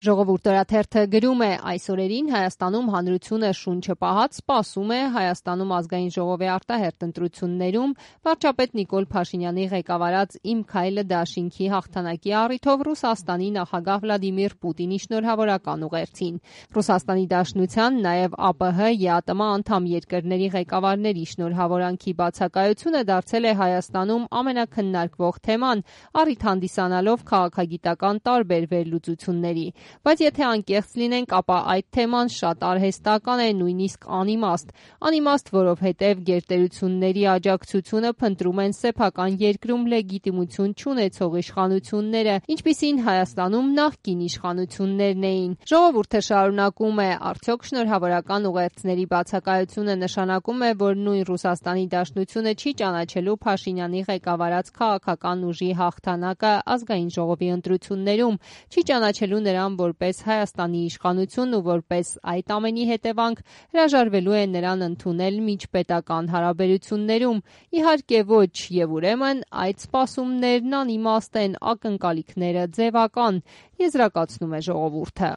Ժողովուրդ օրաթերթը գրում է. այս օրերին Հայաստանում հանրությունը շունչը պահած սպասում է Հայաստանում ազգային ժողովի արտահերթ ընտրություններում վարչապետ Նիկոլ Փաշինյանի ղեկավարած «Իմ քայլը» դաշինքի հաղթանակի առիթով Ռուսաստանի նախագահ Վլադիմիր Պուտինի շնորհավորական ուղերձին։ Ռուսաստանի Դաշնության, նաև ԱՊՀ, ԵԱՏՄ անդամ երկրների ղեկավարների շնորհավորանքի բացակայությունը դարձել է Հայաստանում ամենաքննարկվող թեման, առիթ հանդիսանալով քաղաքագիտական տարբեր վերլուծությունների։ Բայց եթե անկեղծ լինենք, ապա այդ թեման շատ արհեստական է, նույնիսկ անիմաստ։ Անիմաստ, որովհետև գերտերությունների աջակցությունը փնտրում են սեփական երկրում լեգիտիմություն չունեցող իշխանությունները, ինչպիսին Հայաստանում նախկին իշխանություններն էին։ Ժողովուրդը շարունակում է. արդյոք շնորհավորական ուղերձների բացակայությունը նշանակում է, որ նույն Ռուսաստանի Դաշնությունը չի ճանաչելու Փաշինյանի ղեկավարած քաղաքական ուժի հաղթանակը ազգային ժողովի ընտրություններում, չի ճանաչելու նրան որպես Հայաստանի իշխանություն ու որպես այդ ամենի հետևանք հրաժարվելու է նրան ընդունել միջպետական հարաբերություններում։ Իհարկե ոչ, եւ ուրեմն այդ սպասումներն անիմաստ են, ակնկալիքները ձևական, եզրակացնում է ժողովուրդը։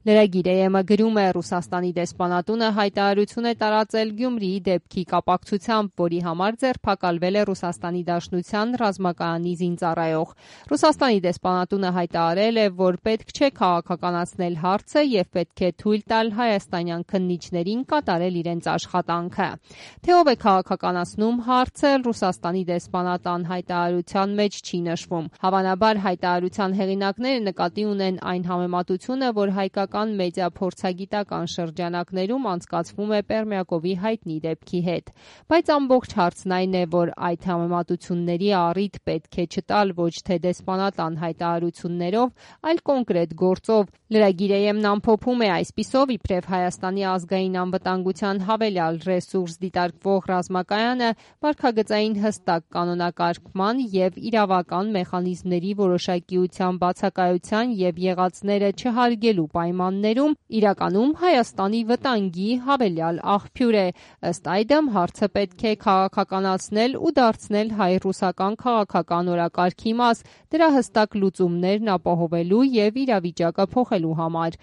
Լրագիր.am-ը գրում է. Ռուսաստանի դեսպանատունը հայտարարություն է տարածել Գյումրիի դեպքի կապակցությամբ, որի համար ձերբակալվել է Ռուսաստանի Դաշնության ռազմակայանի զինծառայող։ Ռուսաստանի դեսպանատունը հայտարարել է, որ պետք չէ քաղաքականացնել հարցը եւ պետք է թույլ տալ հայաստանյան քննիչներին կատարել իրենց աշխատանքը։ Թե ով է քաղաքականացնում հարցը, Ռուսաստանի դեսպանատան հայտարարության մեջ չի նշվում։ Հավանաբար հայտարարության հեղինակները նկատի ունեն այն համեմատությունը, որ հայկական մեդիա փորձագիտական շրջանակներում անցկացվում է Պերմյակովի հայտնի դեպքի հետ։ Բայց ամբողջ հարցն այն է, որ այդ համեմատությունների առիթ պետք է չտալ ոչ թե դեսպանատան հայտարարություններով, այլ կոնկրետ գործով։ Լրագիր.am-ն ամփոփում է. այսպիսով, իբրև Հայաստանի ազգային անվտանգության հավելյալ ռեսուրս դիտարկվող ռազմակայանը վարքագծային հստակ կանոնակարգման եւ իրավական մեխանիզմների որոշակիության բացակայության եւ եղածները չհարգելու պայմաններում իրականում Հայաստանի վտանգի հավելյալ աղբյուր է։ Ըստ այդմ, հարցը պետք է քաղաքականացնել ու դարձնել հայ-ռուսական քաղաքական օրակարգի մաս, դրա հստակ լուծումներն ապահովելու եւ իրավիճակը փոխելու համար։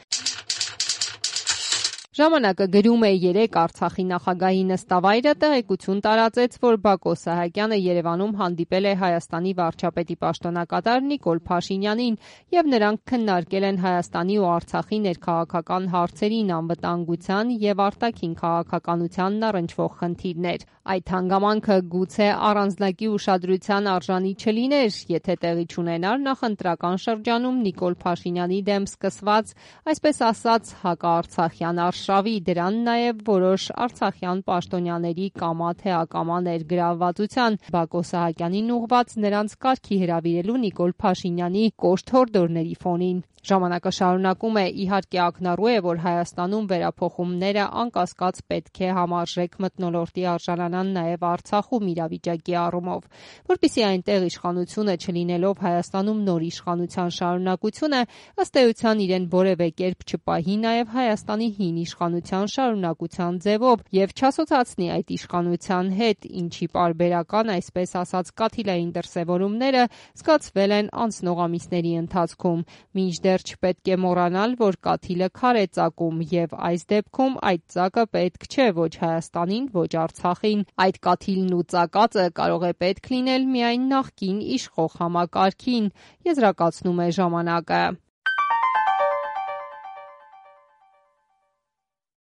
Ժամանակը գրում է. երեկ Արցախի նախագահի նստավայրը տեղեկություն տարածեց, որ Բակո Սահակյանը Երևանում հանդիպել է Հայաստանի վարչապետի պաշտոնակատար Նիկոլ Փաշինյանին եւ նրանք քննարկել են Հայաստանի ու Արցախի ներքաղաքական հարցերին, անվտանգության եւ արտաքին քաղաքականությանն առնչվող խնդիրներ։ Այդ հանգամանքը գուցե առանձնակի ուշադրության արժանի չլիներ, եթե տեղի չունենար նախընտրական շրջանում Նիկոլ Փաշինյանի դեմ սկսված, այսպես ասած, հակաարցախյան արշավի, դրան նաև որոշ արցախյան պաշտոնյաների կամա թե ակամա ներգրավվածության, Բակո Սահակյանին ուղղված նրանց կարգի հրավիրելու Նիկոլ Փաշինյանի կոշտ հորդորների ֆոնին։ Ժամանակը շարունակում է. իհարկե ակնառու է, որ Հայաստանում վերափոխումները անկասկած պետք է համարժեք մթնոլորտի արժանանան նաև Արցախում իրավիճակի առումով, որպեսզի այնտեղ իշխանությունը չլինելով Հայաստանում նոր իշխանության շարունակությունը, ըստ էության իրեն որևէ կերպ չպահի նաև Հայաստանի հին իշխանության շարունակության ձևով եւ չասոցացնի այդ իշխանության հետ, ինչի պարբերական, այսպես ասած, կաթիլային դրսևորումները զգացվել են անցնող ամիսների ընթացքում։ Մինչդեռ չպետք է մոռանալ, որ կաթիլը քար է ծակում եւ այս դեպքում այդ ծակը պետք չէ ոչ Հայաստանին, ոչ Արցախին։ Այդ կաթիլն ու ծակածը կարող է պետք լինել միայն նախկին իշխող համակարգին, եզրակացնում է ժամանակը։